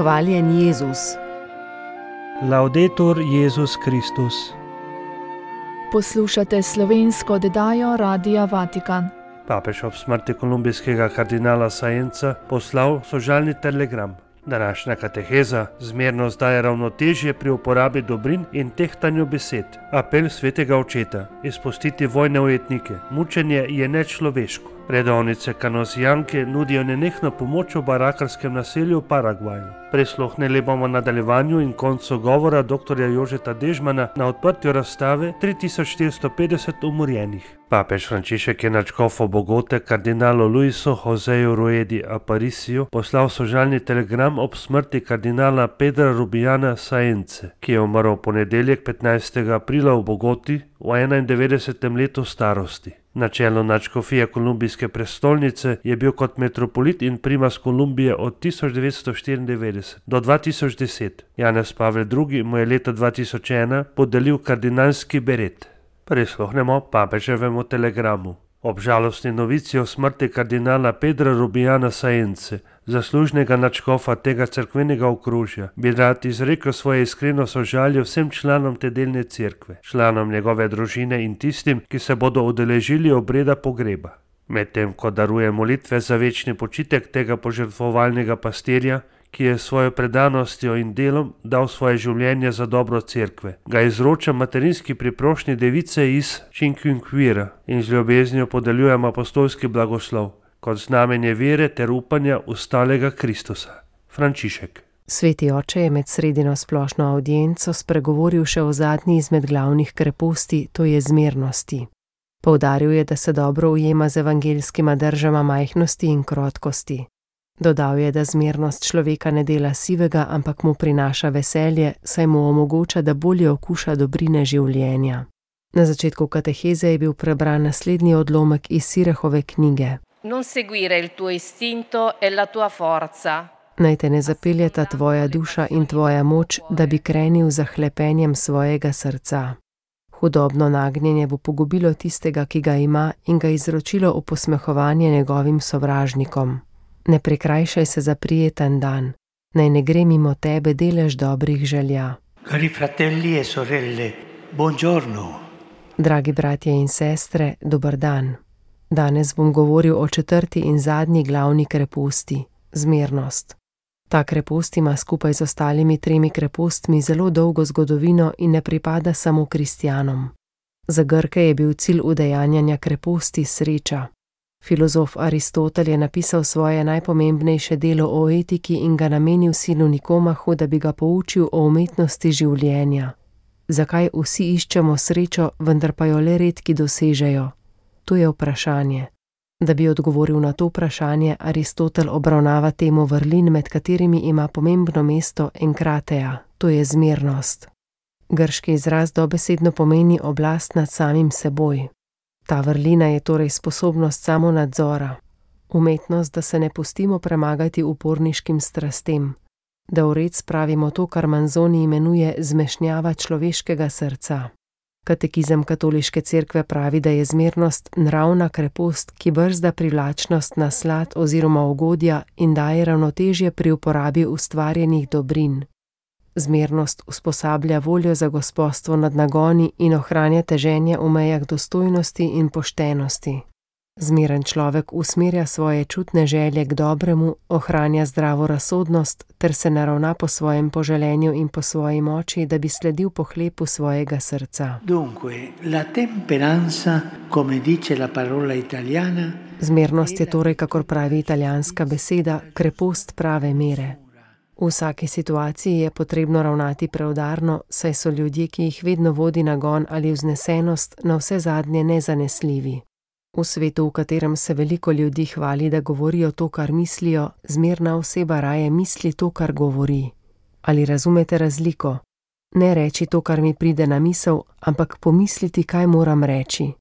Hvaljen Jezus. Laudetur Jezus Kristus. Poslušate slovensko oddajo Radia Vatikan. Papež ob smrti kolumbijskega kardinala Saenza poslal sožalni telegram. Današnja kateheza zmerno daje ravnotežje pri uporabi dobrin in tehtanju besed. Apel svetega očeta: izpustiti vojne ujetnike. Mučenje je nečloveško. Redovnice kanosijanke nudijo nenehno pomoč v barakarskem naselju v Paragvaju. Prisluhnili bomo nadaljevanju in koncu govora dr. Jožeta Dežmana na odprtju razstave 3450 umorjenih. Papež Frančišek je nadškofu Bogote kardinalu Luisu Joseju Ruedi Apariciju poslal sožalni telegram ob smrti kardinala Pedra Rubijana Saence, ki je umrl v ponedeljek 15. aprila v Bogoti v 91. letu starosti. Na čelu nadškofije kolumbijske prestolnice je bil kot metropolit in primas Kolumbije od 1994 do 2010. Janez Pavel II. Mu je leta 2001 podelil kardinalski beret. Prisluhnemo papeževemu telegramu. Ob žalostni novici o smrti kardinala Pedra Rubijana Saence, zaslužnega nadškofa tega cerkvenega okrožja, bi rad izrekel svoje iskreno sožalje vsem članom te delne cerkve, članom njegove družine in tistim, ki se bodo udeležili obreda pogreba. Medtem ko daruje molitve za večni počitek tega požrtvovalnega pastirja, ki je s svojo predanostjo in delom dal svoje življenje za dobro cerkve, ga izroča materinski priprošnji device iz Chinquinquira in z ljubeznijo podeljujem apostolski blagoslov kot znamenje vere ter upanja v stalega Kristusa. Frančišek. Sveti oče je med sredino splošno avdienco spregovoril še o zadnji izmed glavnih kreposti, to je zmernosti. Poudaril je, da se dobro ujema z evangeljskima držama majhnosti in krotkosti. Dodal je, da zmernost človeka ne dela sivega, ampak mu prinaša veselje, saj mu omogoča, da bolje okuša dobrine življenja. Na začetku kateheze je bil prebran naslednji odlomek iz Sirahove knjige. Non seguire il tuo istinto e la tua forza. Naj te ne zapeljeta tvoja duša in tvoja moč, da bi krenil za hlepenjem svojega srca. Hudobno nagnjenje bo pogubilo tistega, ki ga ima, in ga izročilo v posmehovanje njegovim sovražnikom. Ne prikrajšaj se za prijeten dan, naj ne gre mimo tebe delež dobrih želja. Cari fratelli e sorelle, buongiorno. Dragi bratje in sestre, dober dan. Danes bom govoril o četrti in zadnji glavni kreposti, zmernost. Ta krepost ima skupaj z ostalimi tremi krepostmi zelo dolgo zgodovino in ne pripada samo kristjanom. Za Grke je bil cilj udejanjanja kreposti sreča. Filozof Aristotel je napisal svoje najpomembnejše delo o etiki in ga namenil sinu Nikomahu, da bi ga poučil o umetnosti življenja. Zakaj vsi iščemo srečo, vendar pa jo le redki dosežejo? To je vprašanje. Da bi odgovoril na to vprašanje, Aristotel obravnava temo vrlin, med katerimi ima pomembno mesto enkrateja, to je zmernost. Grški izraz dobesedno pomeni oblast nad samim seboj. Ta vrlina je torej sposobnost samonadzora, umetnost, da se ne pustimo premagati uporniškim strastem, da v red spravimo to, kar Manzoni imenuje zmešnjava človeškega srca. Katekizem katoliške cerkve pravi, da je zmernost nravna krepost, ki brzda privlačnost na slad oziroma ugodja in daje ravnotežje pri uporabi ustvarjenih dobrin. Zmernost usposablja voljo za gospostvo nad nagoni in ohranja teženje v mejah dostojnosti in poštenosti. Zmeren človek usmerja svoje čutne želje k dobremu, ohranja zdravo razsodnost ter se naravna po svojem poželenju in po svoji moči, da bi sledil pohlepu svojega srca. Dunque, la temperanza, come dice la parola italiana, zmernost je torej, kakor pravi italijanska beseda, krepost prave mere. V vsaki situaciji je potrebno ravnati preudarno, saj so ljudje, ki jih vedno vodi nagon ali vznesenost, na vse zadnje nezanesljivi. V svetu, v katerem se veliko ljudi hvali, da govorijo to, kar mislijo, zmerna oseba raje misli to, kar govori. Ali razumete razliko? Ne reči to, kar mi pride na misel, ampak pomisliti, kaj moram reči.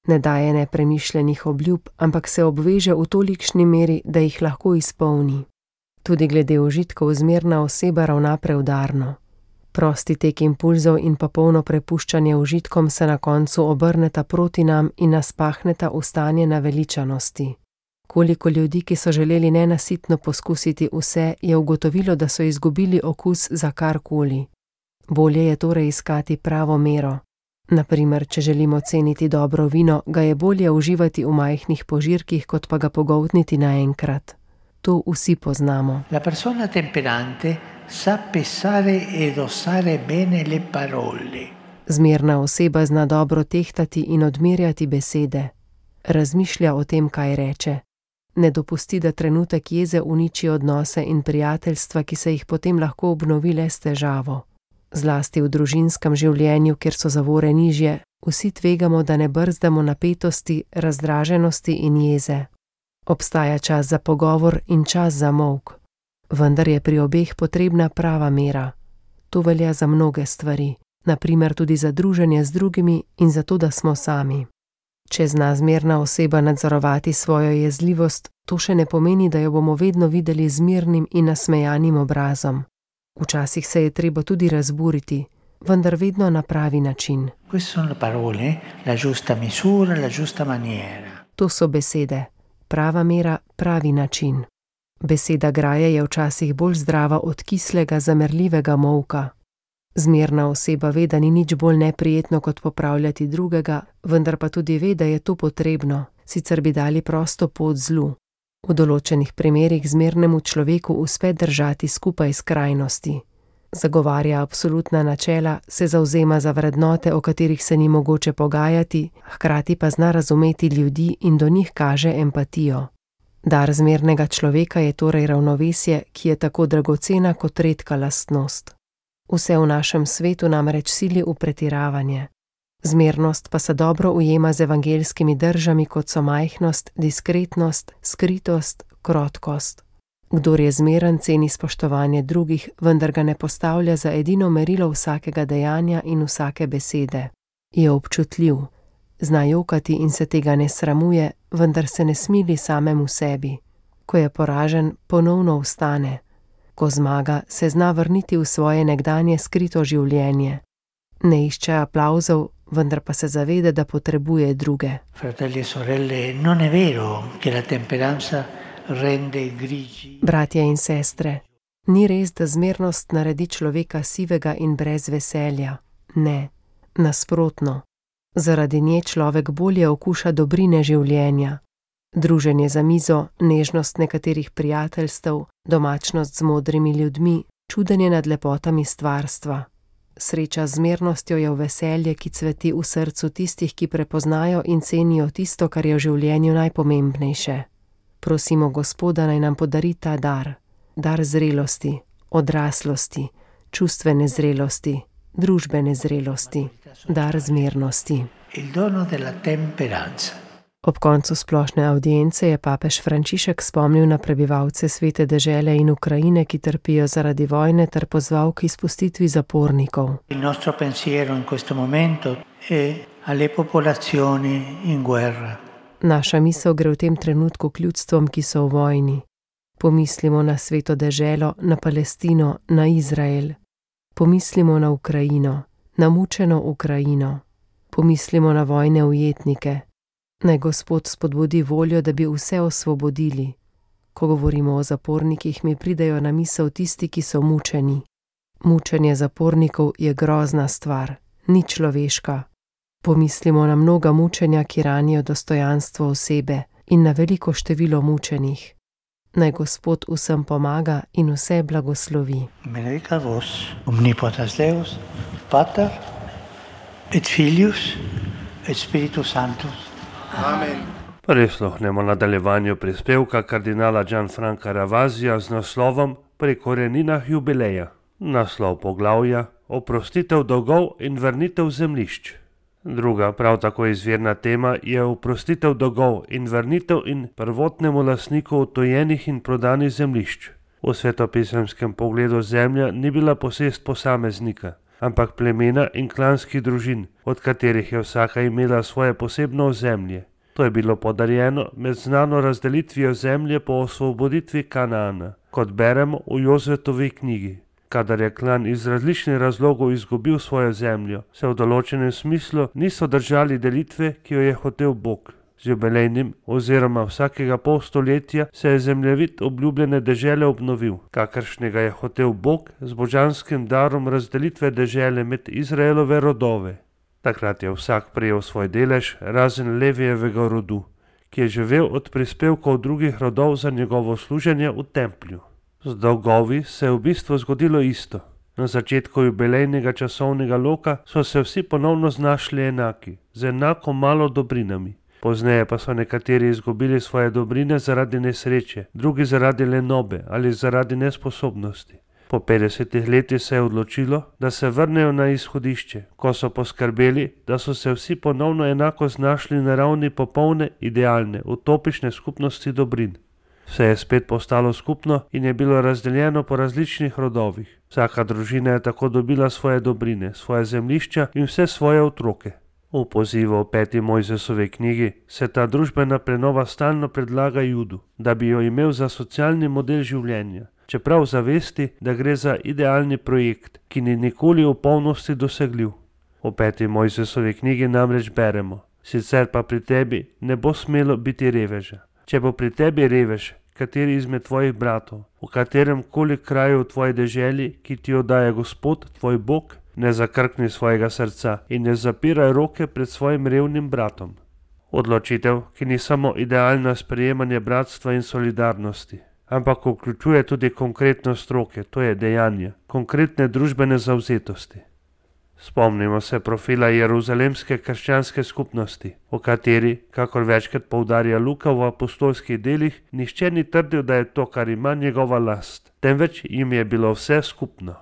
Ne daje nepremišljenih obljub, ampak se obveže v tolikšni meri, da jih lahko izpolni. Tudi glede užitkov zmerna oseba ravna preudarno. Prosti tek impulzov in pa polno prepuščanje užitkom se na koncu obrneta proti nam in nas pahneta v stanje naveličanosti. Koliko ljudi, ki so želeli nenasitno poskusiti vse, je ugotovilo, da so izgubili okus za karkoli. Bolje je torej iskati pravo mero. Naprimer, če želimo ceniti dobro vino, ga je bolje uživati v majhnih požirkih, kot pa ga pogoltniti naenkrat. To vsi poznamo. La persona temperante sa pesare e dosare bene le parole. Zmerna oseba zna dobro tehtati in odmerjati besede. Razmišlja o tem, kaj reče. Ne dopusti, da trenutek jeze uniči odnose in prijateljstva, ki se jih potem lahko obnovi le s težavo. Zlasti v družinskem življenju, kjer so zavore nižje, vsi tvegamo, da ne brzdamo napetosti, razdraženosti in jeze. Obstaja čas za pogovor in čas za molk. Vendar je pri obeh potrebna prava mera. To velja za mnoge stvari, naprimer tudi za druženje z drugimi in za to, da smo sami. Če zna zmerna oseba nadzorovati svojo jezljivost, to še ne pomeni, da jo bomo vedno videli z mirnim in nasmejanim obrazom. Včasih se je treba tudi razburiti, vendar vedno na pravi način. Queste sono le parole, la giusta misura, la giusta maniera. To so besede. Prava mera, pravi način. Beseda graje je včasih bolj zdrava od kislega, zamerljivega molka. Zmerna oseba ve, da ni nič bolj neprijetno, kot popravljati drugega, vendar pa tudi ve, da je to potrebno, sicer bi dali prosto pot zlu. V določenih primerih zmernemu človeku uspe držati skupaj skrajnosti. Zagovarja absolutna načela, se zavzema za vrednote, o katerih se ni mogoče pogajati, hkrati pa zna razumeti ljudi in do njih kaže empatijo. Dar zmernega človeka je torej ravnovesje, ki je tako dragocena kot redka lastnost. Vse v našem svetu namreč sili v pretiravanje. Zmernost pa se dobro ujema z evangeljskimi držami, kot so majhnost, diskretnost, skritost, krotkost. Kdor je zmeren, ceni spoštovanje drugih, vendar ga ne postavlja za edino merilo vsakega dejanja in vsake besede. Je občutljiv, zna jokati in se tega ne sramuje, vendar se ne smili samemu sebi. Ko je poražen, ponovno vstane. Ko zmaga, se zna vrniti v svoje nekdanje skrito življenje. Ne išče aplavzov, vendar pa se zaveda, da potrebuje druge. Fratelli e sorelle, non è vero che la temperanza rende grigi. Bratje in sestre, ni res, da zmernost naredi človeka sivega in brez veselja. Ne, nasprotno. Zaradi nje človek bolje okuša dobrine življenja. Druženje za mizo, nežnost nekaterih prijateljstev, domačnost z modrimi ljudmi, čudenje nad lepotami stvarstva. Sreča z zmernostjo je v veselje, ki cveti v srcu tistih, ki prepoznajo in cenijo tisto, kar je v življenju najpomembnejše. Prosimo Gospoda, naj nam podari ta dar. Dar zrelosti, odraslosti, čustvene zrelosti, družbene zrelosti, dar zmernosti. Il dono della temperanza. Ob koncu splošne avdience je papež Frančišek spomnil na prebivalce svete dežele in Ukrajine, ki trpijo zaradi vojne, ter pozval k izpustitvi zapornikov. Il nostro pensiero in questo momento è alle popolazioni in guerra. Naša misel gre v tem trenutku k ljudstvom, ki so v vojni. Pomislimo na sveto deželo, na Palestino, na Izrael. Pomislimo na Ukrajino, na mučeno Ukrajino. Pomislimo na vojne ujetnike. Naj Gospod spodbudi voljo, da bi vse osvobodili. Ko govorimo o zapornikih, mi pridejo na misel tisti, ki so mučeni. Mučenje zapornikov je grozna stvar, ni človeška. Pomislimo na mnoga mučenja, ki ranijo dostojanstvo osebe, in na veliko število mučenih. Naj Gospod vsem pomaga in vse blagoslovi. Benedicat vos, omnipotens Deus, Pater, et Filius, et Spiritus Sanctus. Amen. Prisluhnemo nadaljevanju prispevka kardinala Gianfranca Ravazija z naslovom Pri koreninah jubileja. Naslov poglavja: Oprostitev dolgov in vrnitev zemljišč. Druga, prav tako izvirna tema je oprostitev dolgov in vrnitev in prvotnemu lastniku odtujenih in prodanih zemljišč. V svetopisemskem pogledu zemlja ni bila posest posameznika, ampak plemena in klanskih družin, od katerih je vsaka imela svoje posebno ozemlje. To je bilo podarjeno med znano razdelitvijo zemlje po osvoboditvi Kanaana, kot beremo v Jozeftovi knjigi. Kadar je klan iz različnih razlogov izgubil svojo zemljo, se v določenem smislu niso držali delitve, ki jo je hotel Bog. Z jubilejnim oziroma vsakega pol stoletja se je zemljevid obljubljene dežele obnovil, kakršnega je hotel Bog z božanskim darom razdelitve dežele med Izraelove rodove. Takrat je vsak prejel svoj delež, razen Levijevega rodu, ki je živel od prispevkov drugih rodov za njegovo služenje v templju. Z dolgovi se je v bistvu zgodilo isto. Na začetku jubilejnega časovnega loka so se vsi ponovno znašli enaki, z enako malo dobrinami. Pozneje pa so nekateri izgubili svoje dobrine zaradi nesreče, drugi zaradi lenobe ali zaradi nesposobnosti. Po 50 letih se je odločilo, da se vrnejo na izhodišče, ko so poskrbeli, da so se vsi ponovno enako znašli na ravni popolne, idealne, utopične skupnosti dobrin. Vse je spet postalo skupno in je bilo razdeljeno po različnih rodovih. Vsaka družina je tako dobila svoje dobrine, svoje zemljišča in vse svoje otroke. V pozivu v 5. Mojzesovi knjigi se ta družbena prenova stalno predlaga Judu, da bi jo imel za socialni model življenja, čeprav zavesti, da gre za idealni projekt, ki ni nikoli v polnosti dosegljiv. V 5. Mojzesovi knjigi namreč beremo: sicer pa pri tebi ne bo smelo biti reveža. Če bo pri tebi revež, kateri izmed tvojih bratov, v katerem koli kraju v tvoji deželi, ki ti jo daje Gospod, tvoj Bog, ne zakrkni svojega srca in ne zapiraj roke pred svojim revnim bratom. Odločitev, ki ni samo idealno sprejemanje bratstva in solidarnosti, ampak vključuje tudi konkretnost roke, to je dejanje, konkretne družbene zavzetosti. Spomnimo se profila jeruzalemske krščanske skupnosti, o kateri, kakor večkrat poudarja Luka v apostolskih delih, nihče ni trdil, da je to, kar ima, njegova last, temveč jim je bilo vse skupno.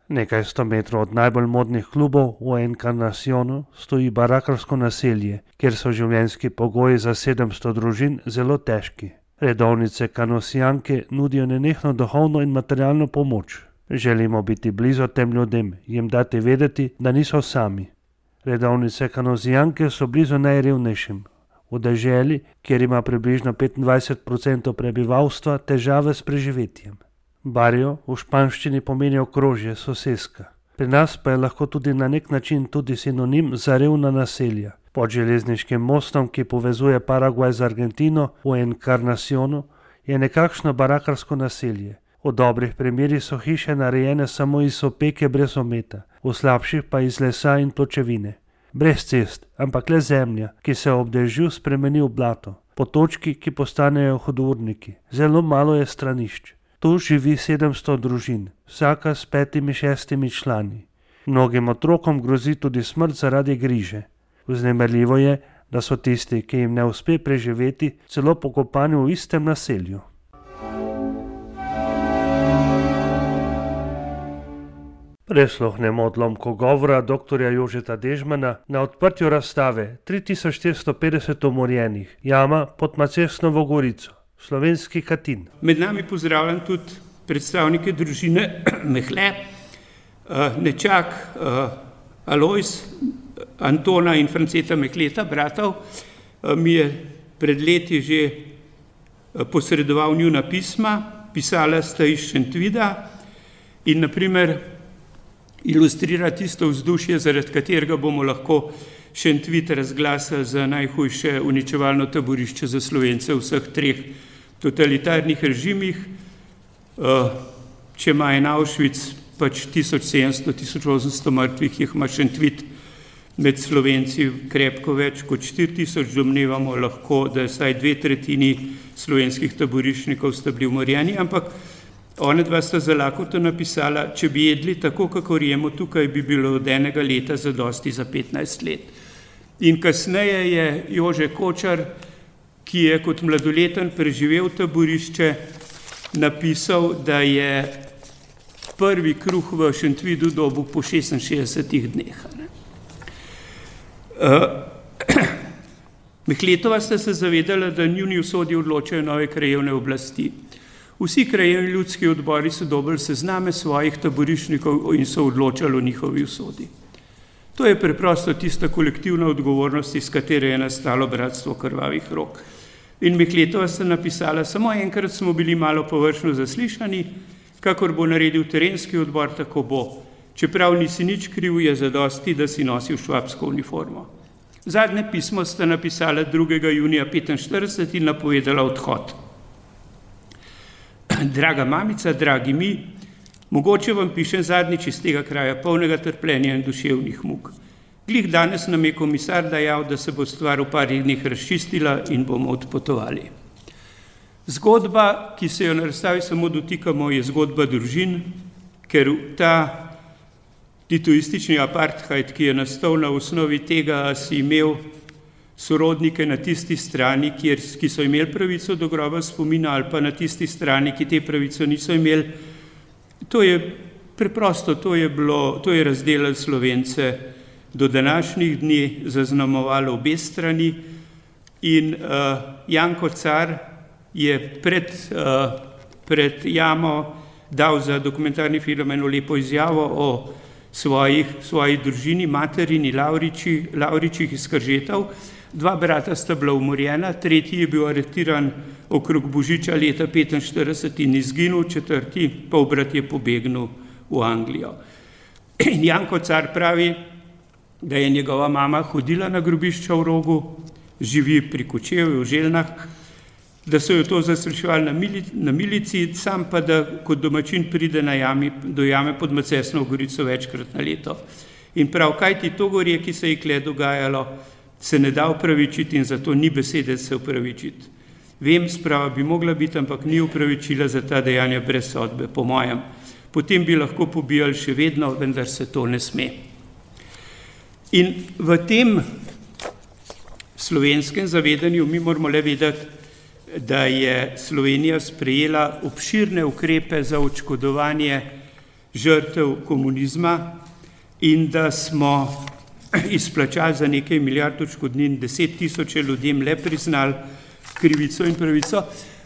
Nekaj 100 metrov od najbolj modnih klubov v Encarnacionu stoji barakarsko naselje, kjer so življenjski pogoji za 700 družin zelo težki. Redovnice kanosijanke nudijo nenehno duhovno in materialno pomoč. Želimo biti blizu tem ljudem, jim dati vedeti, da niso sami. Redovnice kanosijanke so blizu najrevnejšim. V deželi, kjer ima približno 25% prebivalstva težave s preživetjem. Barrio v španščini pomeni okrožje, soseska. Pri nas pa je lahko tudi na nek način tudi sinonim za revna naselja. Pod železniškim mostom, ki povezuje Paragvaj z Argentino v Encarnacionu, je nekakšno barakarsko naselje. V dobrih primerih so hiše narejene samo iz opeke brez ometa, v slabših pa iz lesa in pločevine. Brez cest, ampak le zemlja, ki se ob dežju spremeni v blato, potočki, ki postanejo hudourniki. Zelo malo je stranišč. Tu živi 700 družin, vsaka s 5-6 člani. Mnogim otrokom grozi tudi smrt zaradi griže. Vznemirljivo je, da so tisti, ki jim ne uspe preživeti, celo pokopani v istem naselju. Prisluhnemo odlomku govora dr. Jožeta Dežmana na odprtju razstave 3450 umorjenih, jama pod Macesnovo Gorico, slovenski Katin. Med nami pozdravljam tudi predstavnike družine Mehle, nečak Alojz, Antona in Franceta Mehleta, bratov. Mi je pred leti že posredoval njuna pisma, pisala sta iz Šentvida in naprimer ilustrira tisto vzdušje, zaradi katerega bomo lahko Šentvid razglasili za najhujše uničevalno taborišče za Slovence v vseh 3 totalitarnih režimih. Če ima en Auschwitz pač 1700-1800 mrtvih, jih ima Šentvid med Slovenci krepko več kot 4000, domnevamo lahko, da je vsaj 2/3 slovenskih taboriščnikov sta bili umorjeni, ampak ona dva sta za lakoto napisala, če bi jedli tako, kakor jemo tukaj, bi bilo od enega leta zadosti za 15 let. In kasneje je Jože Kočar, ki je kot mladoleten preživel taborišče, napisal, da je prvi kruh v Šentvidu dobil po 66 dneh. Mehletova sta se zavedala, da njuni usodi odločajo nove krajevne oblasti. Vsi krajevni ljudski odbori so dobili sezname svojih taboriščnikov in so odločali o njihovi usodi. To je preprosto tista kolektivna odgovornost, iz katere je nastalo bratstvo krvavih rok. In Mehletova sta napisala, samo enkrat smo bili malo površno zaslišani, kakor bo naredil terenski odbor, tako bo. Čeprav nisi nič kriv, je zadosti, da si nosil švabsko uniformo. Zadnje pismo sta napisala 2. junija 1945 in napovedala odhod. Draga mamica, dragi mi, mogoče vam pišem zadnjič iz tega kraja polnega trpljenja in duševnih muk. Glih danes nam je komisar dejal, da se bo stvar v parih dneh razčistila in bomo odpotovali. Zgodba, ki se jo na razstavi samo dotikamo, je zgodba družin, ker ta titoistični apartheid, ki je nastal na osnovi tega, si imel sorodnike na tisti strani, ki so imeli pravico do groba spomina, ali pa na tisti strani, ki te pravico niso imeli. To je preprosto, to je razdelilo Slovence do današnjih dni, zaznamovalo obe strani in Janko Car je pred jamo dal za dokumentarni film eno lepo izjavo o svoji družini, materini Lavričih iz Kržetov. 2 brata sta bila umorjena, 3. je bil aretiran okrog Božiča leta 1945 in izginil, 4. polbrat je pobegnil v Anglijo. In Janko Car pravi, da je njegova mama hodila na grobišča v Rogu, živi pri Kočevju v Željnah, da so jo to zasrečevali na milici, sam pa da kot domačin pride do jame pod Macesnovo Gorico večkrat na leto. In prav, kaj ti to gorje, ki se je kle dogajalo, se ne da upravičiti in zato ni besede se upravičiti. Vem, sprava bi mogla biti, ampak ni upravičila za ta dejanja brez sodbe, po mojem. Potem bi lahko pobijali še vedno, vendar se to ne sme. In v tem slovenskem zavedanju mi moramo le vedeti, da je Slovenija sprejela obširne ukrepe za odškodovanje žrtev komunizma in da smo izplačali za nekaj milijard odškodnin 10 000 ljudem le priznali krivico in pravico,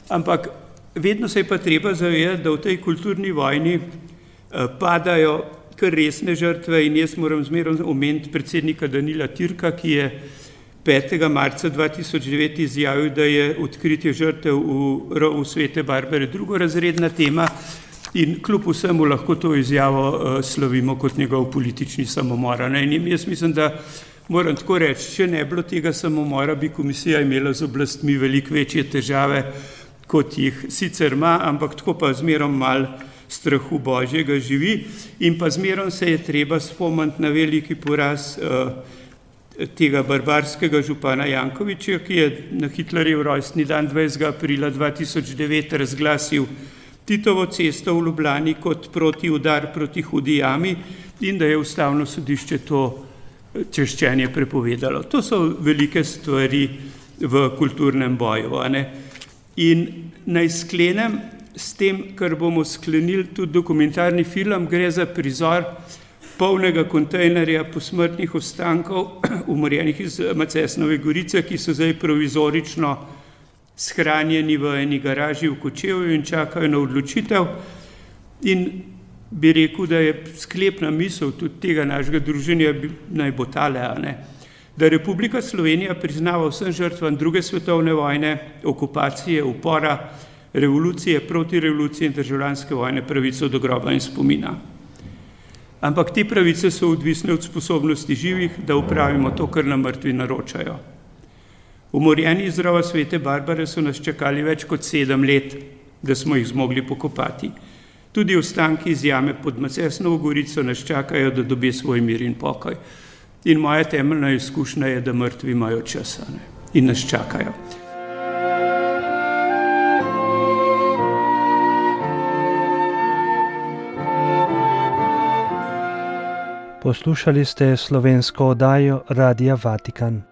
ampak vedno se je pa treba zavedati, da v tej kulturni vojni padajo kar resne žrtve in jaz moram zmeraj omeniti predsednika Danila Türka, ki je 5. marca 2009 izjavil, da je odkritje žrtev v rovu Svete Barbare drugorazredna tema in kljub vsemu lahko to izjavo slavimo kot njegov politični samomor. In jaz mislim, da moram tako reči, če ne bilo tega samomora, bi komisija imela z oblastmi veliko večje težave, kot jih sicer ima, ampak tako pa zmerom malo strahu Božjega živi in pa zmerom se je treba spomniti na veliki poraz tega barbarskega župana Jankovića, ki je na Hitlerjev rojstni dan 20. aprila 2009 razglasil Titovo cesto v Ljubljani kot protiudar proti Hudi jami in da je Ustavno sodišče to češčenje prepovedalo. To so velike stvari v kulturnem boju. In naj sklenem s tem, kar bomo sklenili tudi dokumentarni film, gre za prizor polnega kontejnerja posmrtnih ostankov umorjenih iz Macesnove Gorice, ki so zdaj provizorično shranjeni v eni garaži v Kočevju in čakajo na odločitev. In bi rekel, da je sklepna misel tudi tega našega druženja naj bo tale, da Republika Slovenija priznava vsem žrtvam 2. svetovne vojne, okupacije, upora, revolucije, protirevolucije in državljanske vojne pravico do groba in spomina. Ampak te pravice so odvisne od sposobnosti živih, da upravimo to, kar nam mrtvi naročajo. Umorjeni iz rova Svete Barbare so nas čakali več kot 7 let, da smo jih zmogli pokopati. Tudi ostanki iz jame pod Macesnovo Gorico nas čakajo, da dobi svoj mir in pokoj. In moja temeljna izkušnja je, da mrtvi imajo čas in nas čakajo. Poslušali ste slovensko oddajo Radia Vatikan.